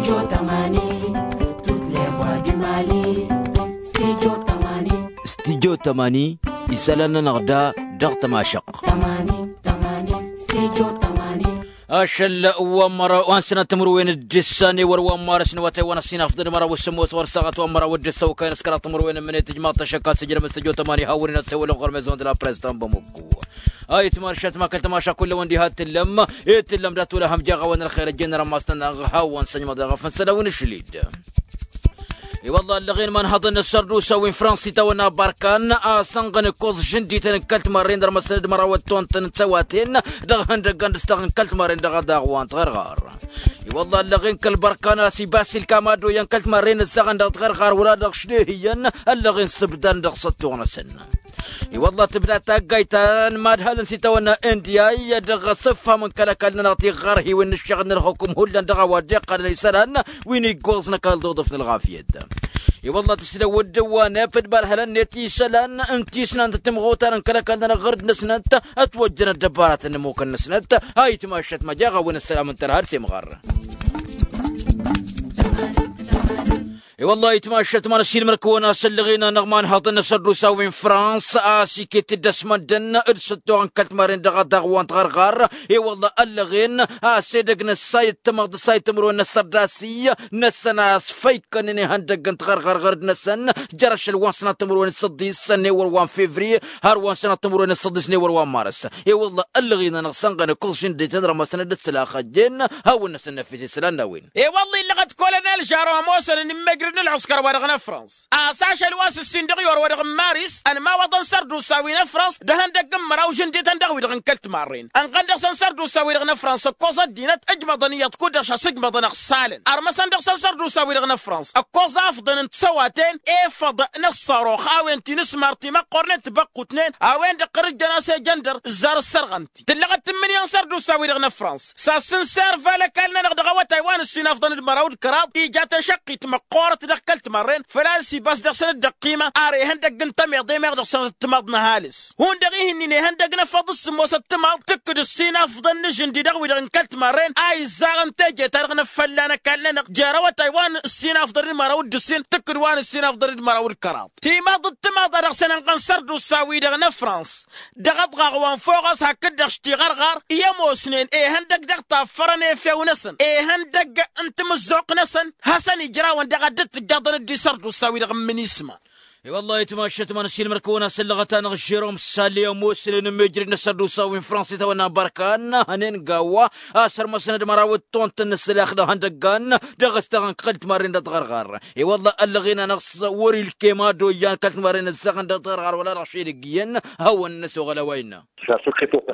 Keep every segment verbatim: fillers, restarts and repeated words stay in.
Studio tămani. Studio tămani. Isălan-nănăɣ da dăɣ-tămašăɣt. Ašăl wa n-măraw wa n-sănat timǝrwen d-ǝssan i-wăr wa n-marăs n-awătay wa n-ăssinafḍăn d-măraw s-sămmos ɣur-saɣăt wa n-măraw d-ǝssan okăyăn s-kăraḍ timǝrwen n-mănet ijmaḍ-t ašăk a-s ijrăm studio tămani hawăn-in-ăssewălăn ɣur-mezon d-la press ta n-bămukku. Ayǝtmašat ma kăl-tămaša kull-awăn diha t-tǝllăm. I-tǝllăm dat-wăla ham jaɣ-awăn ălxer ăjjeen rămas-tăn-dăɣ hawăn săjmăḍ i-ɣăf n-săl-awăn ašlid. I-wălla ăllăɣen imanhăḍăn n-ăssărdusa wi n-frans itawănna barkan a-s ănɣăn ǝkkoẓ žǝndităn n-kăl-timarren dăr-măsnăd măraw ăttontăn d-tăwaten dăɣ-ihăndăggan d-ǝstăɣ n-kăl-timarren dăɣ-adaɣ wa n-tiɣărɣar. I-wălla ăllăɣen kăl-bărkan a-s ibas ilkam ad-oyăn kăl-timarren ǝzzaɣăn dăɣ-tiɣărɣar wăla dăɣ-ašlehǝyăn ăllăɣen s-ǝbdan dăɣ-săttuɣ-năsăn. I-wălla tǝbda taggayt ta n-imadhalăn s-itawănna indiyay dăɣ-asǝfham n-kăl-ăkall-nănăɣ tiɣărhiwen n-ǝššăɣǝl n-ălxukum hullan dăɣ-a-wa dd-iqqălăn isălan wi n-iggoẓ n-ăkall d-uḍǝf n-ălɣafyăt. I-wălla tǝslăwăd d-ăwwanăp d-imadhalăn-net isălan n-tisnant timɣutar n-kăl-ăkall-nănăɣ ɣăr-dd-năsnăt ătwăjjăn ăddăbaratăn n-ămmukăn-năsnăt. Ayǝtmašat ma jaɣ-awăn ăssălam n-tărha d-semɣar. I-wălla ayǝtmašat ma n-ăssiilmăr-kăwăn a-s ăllăɣen-anăɣ imanhăḍăn n-asărdusa wi n-frans a-s iket-dd ăsmăndăn d-săttoɣ n-kăl-timarren dăɣ-adaɣ wa n-tiɣărɣar. I-wălla ăllăɣen a-s edăgg n-ăssay d-tamăḍt ăssay timǝrwen n-asărdasi-năsăn a-s făykănen ihăndăgg n-tiɣărɣar ɣărd-năsăn jer-ašăl wa n-sănat timǝrwen s-săḍis n-ewăr wa n-fevriye har wa n-sănat timǝrwen s-săḍis n-ewăr wa n-marăs. I-wălla ăllăɣen-anăɣ sănɣăn ǝkkuẓ žǝndităn rămăsăn d-ǝssǝlax ăjjeen hawăn-năsăn năfis isălan n-a-wen. I-wălla illăɣ-ăt kăwălăn ălžarwa ămoosăn n-immejrăd n-ălɣǝskăr wa dăɣ-năfrăns a-s ašăl wa s-ǝssin dăɣ-i orwădăɣ n-maris ănmawăḍăn sărdusa wi n-ăfrăns d-ehăndăgg n-măraw žǝndităn dăɣ-wi-dăɣ n-kăl-timarren ănɣăn dăɣ-săn sărdusa wi-dăɣ n-ăfrăns ǝkkoẓ ăddinăt ǝjmăḍăn iyyăḍ kud-dăɣ šasǝjmăḍăn ăɣsalăn ărmăsăn dăɣ-săn sărdusa wi-dăɣ n-ăfrăns ǝkkoẓ afḍăn n-tisăwaten efăḍ n-ăṣṣarox a-wen ti n-asmar timăqqornen tibăqqutnen a-wen-dăɣ qărǝjjăn a-s ejăndăr ǝzzar ăssărɣăn-t-i tǝllăɣ-dd tǝmmǝnǝya n-sărdusa wi-dăɣ n-ăfrăns. S-ad-sǝnser făll-ăkall-nănăɣ dăɣ-awătay wa n-ǝssin afḍăn d-măraw d-kăraḍ ija tešăqqit măqqoorăt dăɣ-kăl-timărren făl-a-s ibas dăɣ-săn dd-ăqqima ar ihăndăgg n-tămiḍe meɣ dăɣ-săn ăttămaḍ n-ăhalǝs hundăɣ-i hin-in ihăndăgg n-efăḍ s-sǝmmos ăttămaḍ tǝkkǝd ǝssin afḍăn n-ažǝndi dăɣ-wi-dăɣ n-kăl-timărren a izzarăn teje-ta-dăɣ n-afălla n-ăkall-nănăɣ jer-awătay wa n-ǝssin afḍăn d-măraw d-ǝssin tǝkkǝd wa n-ǝssin afḍăn d-măraw d-kăraḍ. Timaḍ d-tǝmaḍa dăɣ-săn ănɣăn sărdusa-wi-dăɣ n-ăfrăns dăɣ-aḍɣaɣ wa n-foɣăs hakd-dăɣ š-tiɣărɣar i-ămoosnen ihăndăgg dăɣ-taffărăn efew-năsăn ihăndăgg n-timǝzzuɣt-năsăn hasăn-ijrawăn daɣ a dd-tǝjjaḍăn d-isărdusa-wi-dăɣ n-minisma. I-wălla ayǝtmašat ma n-ăssiilmăr-kăwăn a-s ăllăɣăt-anăɣ žerom sali ămoosnen n-mejrăd n-asărdusa wi n-fransa itawănna bărkan hănen gawa a-s ărmăsnăd măraw d-tont n-ǝssǝlax dăɣ-ihăndăggan dăɣ-ăstăɣăn kăl-timarren dăɣ-tiɣărɣar. I-wălla ăllăɣen-anăɣ s-wăr-ilkem ad-oyyan kăl-timarren ǝzzăɣăn dăɣ-tiɣărɣar wăla dăɣ-šedăgg iyyăn hawăn-năsoɣăl a-wa innă.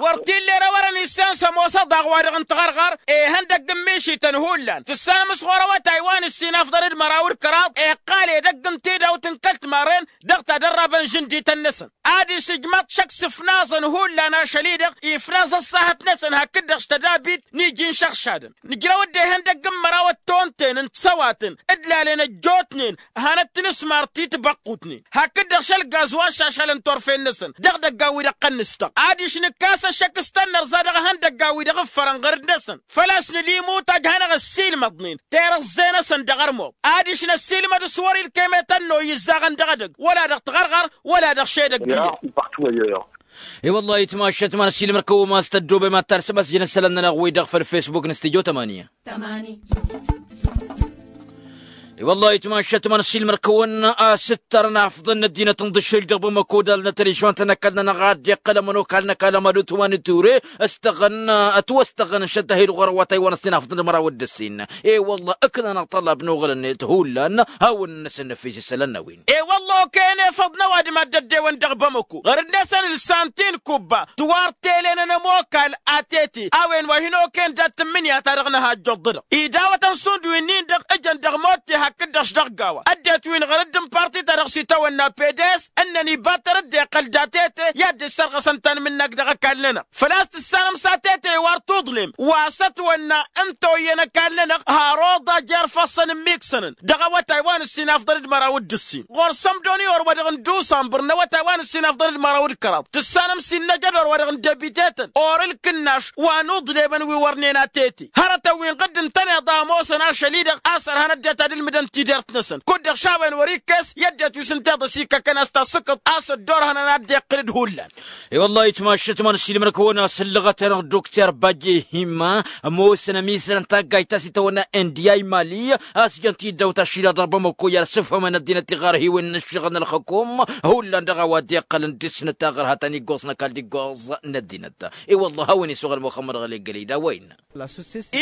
Wăr t-illa erăwărăn issan s-ămoos ăḍaɣ-wa-dăɣ n-tiɣărɣar ihăndăgg n-mišităn hullan tǝssanăm s-ɣur-awătay wa n-ǝssin afḍăn d-măraw d-kăraḍ iqqal edăgg n-tidawt n-kăl-timarren dăɣ-tadărrabăn žǝndităn-năsăn. Ad-išǝjmaḍ šăkk s-ǝfnaẓăn hullan ašăl-i-dăɣ ifnaẓ ăṣṣahăt-năsăn hakd-dăɣ š-tădabit n-iji n-išăɣšadăn nǝjrăw-dd ihăndăgg n-măraw ăttontăyăn n-tisăwatăn d-lalăn ăjjootnen hanăt-tǝnǝsmar ti tibăqqutnen hakd-dăɣ šăl gazwa šašalăn turfen-năsăn dăɣ-idăggan wi dăɣ-tăn-nǝstăɣ. Adiš nǝkkas ăššăk s-tănnărẓa dăɣ-ihăndăggan wi dăɣ-ǝffărăn ɣărd-năsăn făl-a-s nǝla imutaj hanăɣ-ăssiilmăḍnen tirǝẓẓe-năsăn dăɣ-ărmuḍ. Adiš năssiilmăd s-wăr-ilkem i-tănnoy izzaɣăn dăɣ-edăgg wăla dăɣ-tiɣărɣar wăla dăɣ-šedăgg iyyăn. I-wălla ayǝtmašat ma n-ăssiilmăr-kăwăn ma s-tăddoobem ad-tarsăm asǝjăn isălan-nănăɣ-wi-dăɣ făll-fesbuk n-studyo tămani. I-wălla ayǝtmašat ma n-ăssiilmăr-kăwăn a-s ǝttărăn afḍăn n-ăddinăt n-iḍǝššel dăɣ-bamăko d-alnăt režion-tăn ăkall-nănăɣ a dd-iqqăl ămănokal n-ăkall ămădut wa n-ture ăstăɣăn ătwăstăɣăn n-šăddăhed ɣur-awătay wa n-ăssin afḍăn d-măraw d-ǝssin. I-wălla ǝknăn aṭṭălab n-oɣăl-net hullan hawăn-năsăn năfis isălan n-a-wen. I-wălla okăyăn efăḍ n-ăwadǝm ad-dd-ăddewăn dăɣ-bamăko ɣărăd-năsăn ǝlsan-t-in kubba tiwartelen n-ămokal atete a-wen wa hin-okăyăn dat-tǝmmǝnǝya-ta-dăɣ n-ăhajjăḍ-dăɣ idawătăn šund wi-nin-dăɣ ǝjăn dăɣ-motte hakd-dăɣ š-dăɣ gawa ăddinăt wi n-ɣărăd n-parti-ta-dăɣ s-itawănna pedes ǝnnăn ibattăr-dd iqqăl d-atete i-ad-dd-issărɣăsăn tanmǝnnak dăɣ-ăkall-nănăɣ. Făl-a-s tǝssanăm s-atete i-wăr tuḍlem wa s-ătwănna n-toyyăn ăkall-nănăɣ har oḍa jer-ifassăn ǝmmiksănăn dăɣ-awătay wa n-ǝssin afḍăn d-măraw d-ǝssin ɣur-săn. Doni or wa dăɣ-n dusambăr n-awătay wa n-ǝssin afḍăn d-măraw d-kăraḍ tǝssanăm s-innă jăd or wa dăɣ-n debite-tăn or ǝlkǝnnaš wa n-uḍlebăn wi wărnen atete hărătăn wi n-ɣǝdd ǝntăneḍ a ămoosăn ašăl-i-dăɣ a-s ărhan ăddinăt ad-ǝlmǝdăn tidert-năsăn kud-dăɣ šawen wăr-ikkes i-ăddinăt wi s-ǝnta iḍǝs ikkăkăn a-s tasǝkkăḍ a-s ăddoorhănăn ad-dd-iqqǝl d-hullan. I-wăllah itmašăt ma n-ăssiilmăr-kăwăn a-s ǝllăɣăt-anăɣ dokter bajehima ămoosăn ămizărăn taggayt ta s-itawănna indiya i-mali a-s jăn tiddawt ašilăɣ dăɣ-bamăko i-ad-sǝfhămăn ăddinăt tiɣarhiwen n-ǝššăɣǝl n-ălxăkum hullan dăɣ-a-wa dd-iqqălăn dăr-snăt taɣărhat ta n-iggoẓ n-ăkall d-iggoẓ n-ăddinăt. I-wăllah a-wen isuɣăl muxămmăd ɣăli ăggălăy d-a-wa innă.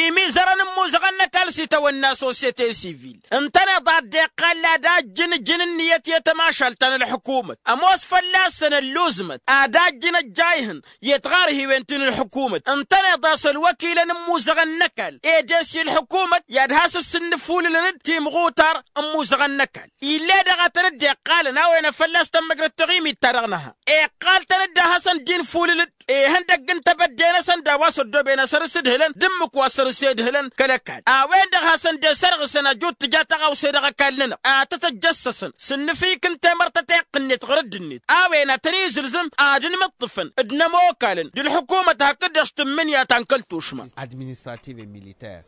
Imizărăn n-imuzăɣăn n-ăkall s-itawănna sosyete sivil ǝntăneḍ a dd-iqqal ad-ajjǝn ǝjǝn ǝnniyăt i-tămašalt ta n-ălḥǝkumăt ămoos fălla-săn ălluzmăt ad-ajjǝn ăjjayhăn i-tiɣarhiwen ti n-ălḥǝkumăt ǝntăneḍ a-s ălwăkilăn n-imuzăɣăn n-ăkall ed esi ălḥǝkumăt i-ad-has-ǝssǝnnǝfulǝlăn-dd timɣutar n-imuzăɣăn n-ăkall. Ill'-e-dăɣ a tăn-dd-iqqalăn a-wen a fălla-s tămmăjrăd taɣimit-ta-dăɣ nǝha iqqal-tăn-dd a hasăn-dd-infulǝl-dd ihăndăgg n-tebădde-năsăn d-a-wa s-ăddooben a săr-s ǝdhǝlăn d-ǝmmǝk wa s-săr-s edhǝlăn kăl-ăkall. A-wen-dăɣ hasăn-dd-esărɣǝsăn ăjut tǝja taɣawse dăɣ-ăkall-nănăɣ a tăt-ăjjăssăsăn s-ǝnnǝfik n-temărt ta teqqǝnnet ɣur-dd-net. A-wen ad-tăn-izǝlzǝm ad-ǝnmǝṭṭǝfăn d-inămokkalăn d-ălḥǝkumăt hakd-dăɣ s-tǝmmǝnǝya ta n-kăl-tušma. Administrative et militaire.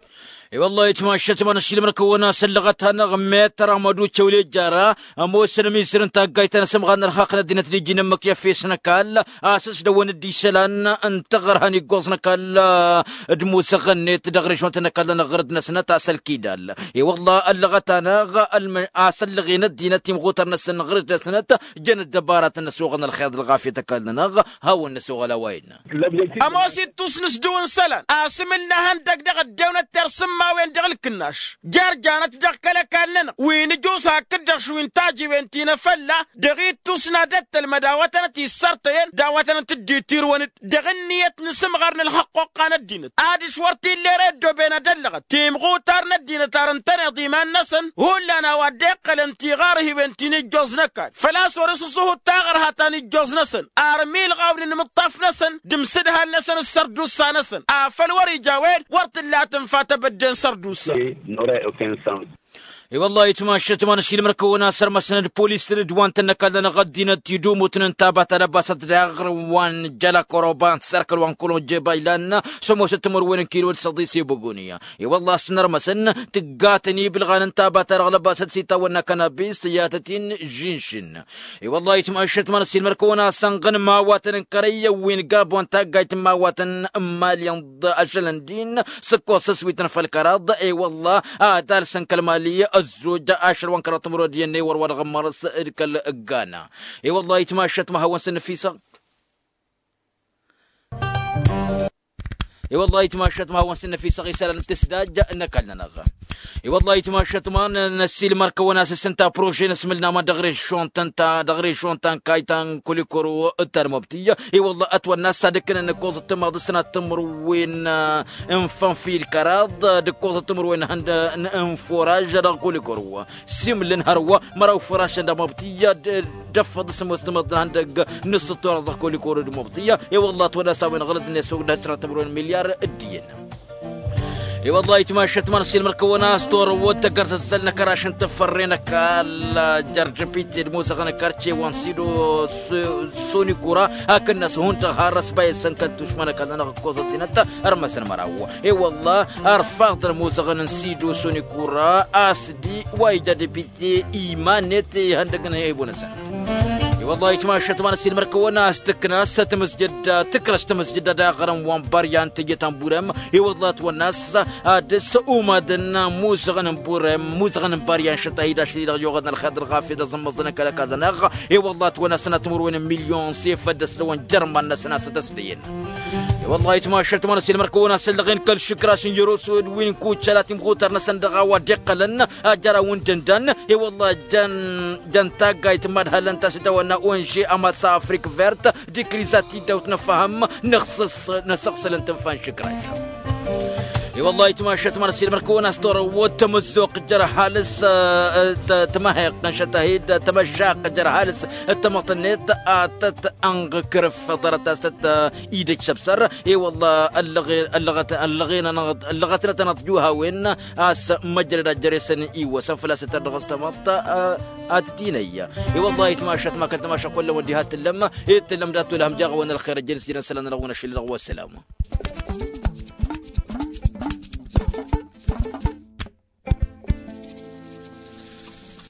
I-wăllah itmašăt ma n-ăssiilmăr-kăwăn a-s ăllăɣăt-anăɣ mettăr amăducăw lejjara ămoosăn ămizăr n-taggayt ta n-asǝmɣar n-ărhaq n-ăddinăt d-iji n-ǝmmǝk i-efes n-ăkall a-s ăsdăwăn dd-isălan n-taɣărha n-iggoẓ n-ăkall d-musăɣ-net dăɣ-režont n-ăkall-nănăɣ ɣur-dd-năsnăt a-s ălkidal. I-wăllah ăllăɣăt-anăɣ a-s ăllăɣen ăddinăt timɣutăr-năsăn ɣur-dd-năsnăt jăn ăddăbaratăn n-ăssoɣăn ălxer d-ălɣafyăt ăkall-nănăɣ. Hawăn-năsoɣăl a-wa innă. Ămoos ittus n-asdǝw n-isălan asǝm ǝlnăhăn dăgg-dăɣ ăddewnăt tersǝmmawen dăɣ-ǝlkǝnnaš jer-janăt dăɣ-kăl-ăkall-nănăɣ wi n-ǝjus hakd-dăɣ šwin-tajiwen ti n-afălla dăɣ-ittus n-ad-ăttălmăd a-wa tănăt-issărtăyăn d-a-wa tănăt-dd-itirwăn-dd dăɣ-ǝnniyăt n-asǝmɣar n-ălxăqquqqa n-ăddinăt adiš wăr t-illa ere ăddooben ad-ăllăɣăt timɣutar n-ăddinăt ar ǝntăneḍ iman-năsăn hullan a-wa dd-iqqălăn tiɣarhiwen ti n-ijjoẓ n-ăkall făl-a-s wăr-s ăṣṣuhut taɣărha ta n-ijjoẓ-năsăn armi ǝlɣaw n-inǝmǝṭṭaf-năsăn d-imsǝdhal-năsăn s-sărdusa-năsăn afăl wăr-ija a-wen wăr t-illa tǝnfa tebădde n-sărdusa. I-wăllah itmašăt ma n-ăssiilmăr-kăwăn a-s ărmăsnăd polis tǝlǝdwan-tăn n-ăkall-nănăɣ ăddinăt idumutăn n-taba ta d-ăbasăt daɣ wa n-jăla koroba n-sărkăl wa n-kălonje baylan s-ămoosăt timǝrwen n-kilo d-săḍis i-băgoniya. I-wăllah a-s tăn-ărmăsăn tǝggatăn ibǝlɣan n-taba ta dăɣ-lăbasăt s-itawănna kanabis i-ad-tăt-in-žinžin. I-wăllah itmašăt ma n-ăssiilmăr-kăwăn a-s ănɣăn imawatăn n-kărăy wi n-gabon taggayt n-imawatăn n-mali ănḍa ašăl ăndin s-ǝkkoẓ s-ăswităn făll-kăraḍ. I-wăllah ad-alsăn kăl-mali ăzzoj ašăl wa n-kăraḍ timǝrwen d-iyyăn n-ewăr wa dăɣ-ămmărăs d-kăl-ǝggana. I-wăllah itmašăt ma hawăn-săn năfisăɣ. I-wăllah itmašăt ma hawăn-săn năfisăɣ isălan tǝsdaj n-ăkall-nănăɣ. I-wăllah itmašăt ma n-ăssiilmăr-kăwăn a-s s-ǝnta prože n-asmǝl n-aman dăɣ-režon ta n-kayta n-kulikoro d-talmobti. I-wăllah ătwănna s-ad-ǝkkǝnăn ǝkkoẓăt timaḍ s-tănat timǝrwen n-fănfil kăraḍ d-ǝkkoẓăt timǝrwen n-furaž dăɣ-kulikoro. Simǝlăn hărwa măraw furašăn d-amobti d-ăffăḍ s-ămoos timǝḍ n-ihăndăg n-ǝssǝttoraḍ dăɣ-kulikoro d-amobti. I-wăllah ătwănna s-a-wen ɣǝlăt-net s-ogdăh s-tănat timǝrwen milyar d-iyyăn. I-wăllah itmašăt ma n-ăssiilmăr-kăwăn a-s torăwwăt tăggărzăzzăl n-akăraš n-tǝffărre n-ăkall jărjăpite d-musăɣăn n-kărce wa n-sido sonikura hakd-năs hundăɣ har ăsbayăsăn kăl-tušma n-ăkall-nănăɣ ǝkkoẓăt-inăt. Ărmăsăn măraw i-wăllah ărfaḍăn musăɣăn n-sido sonikura a-s d-wa ija depite iman-net ihăndăg n-ehăybun-năsăn. I-wăllah itmašăt ma n-ăssiilmăr-kăwăn a-s tǝknas tǝmǝzjăd tǝkrăš tǝmǝzjăd ad-aɣrǝm wa n-bărya n-teje ta n-burem. I-wăllah ătwănna a-s ad-dăr-s umadăn musăɣăn n-burem musăɣăn n-bărya n-šăt a hi-dašăl-i-dăɣ yuɣădăn ălxer d-ălɣafyăt d-aẓǝmmăẓăn n-kăl-ăkall-nănăɣ. I-wăllah ătwănna s-tănat timǝrwen n-milyon s-efăddăs dăɣ-wăn jărman-năsăn a-s tăsdăyăn. I-wăllah itmašăt ma n-ăssiilmăr-kăwăn a-s ăllăɣen kăl-išǝkraš n-jăr-osod wi n-kucăla timɣutar-năsăn dăɣ-a-wa dd-iqqălăn ajăraw n-dăndan. I-wăllah jăn taggayt n-imad-hallăn ta s-itawănna onže amasa afrik vert d-ikriza tiddawt n-afăhăm n-asăɣsăl n-tǝnfa n-išǝkraš. I-wăllah itmašat măr-s ilmăr-kăwăn-as torăwwăt tămăzzoq jer-ăhalǝs. Tămăheqq n-šătahid tămăššaq jer-ăhalǝs. Tămăḍt-net a tăt-ănɣ kărǝf ḍarăt a-s tăt-idăj săbsăr. I-wăllah ăllăɣen ăllăɣăt ăllăɣen ănăɣ ăllăɣăt n-ad-tănăḍ juhawen a-s măjrăd ad-jăresăn iwwăsăn făl-a-s tăt-ărdăɣăs tămăḍt. Ad-t-tinăyya. I-wăllah itmašat ma kăl-tămaša kullăm wăddi hat-tǝllăm. Ittǝllăm dat-tolhăm jaɣ-wăn ălxer ăjjăn s-jănăn sălan ălɣun ašăl-dăɣ wa sălam.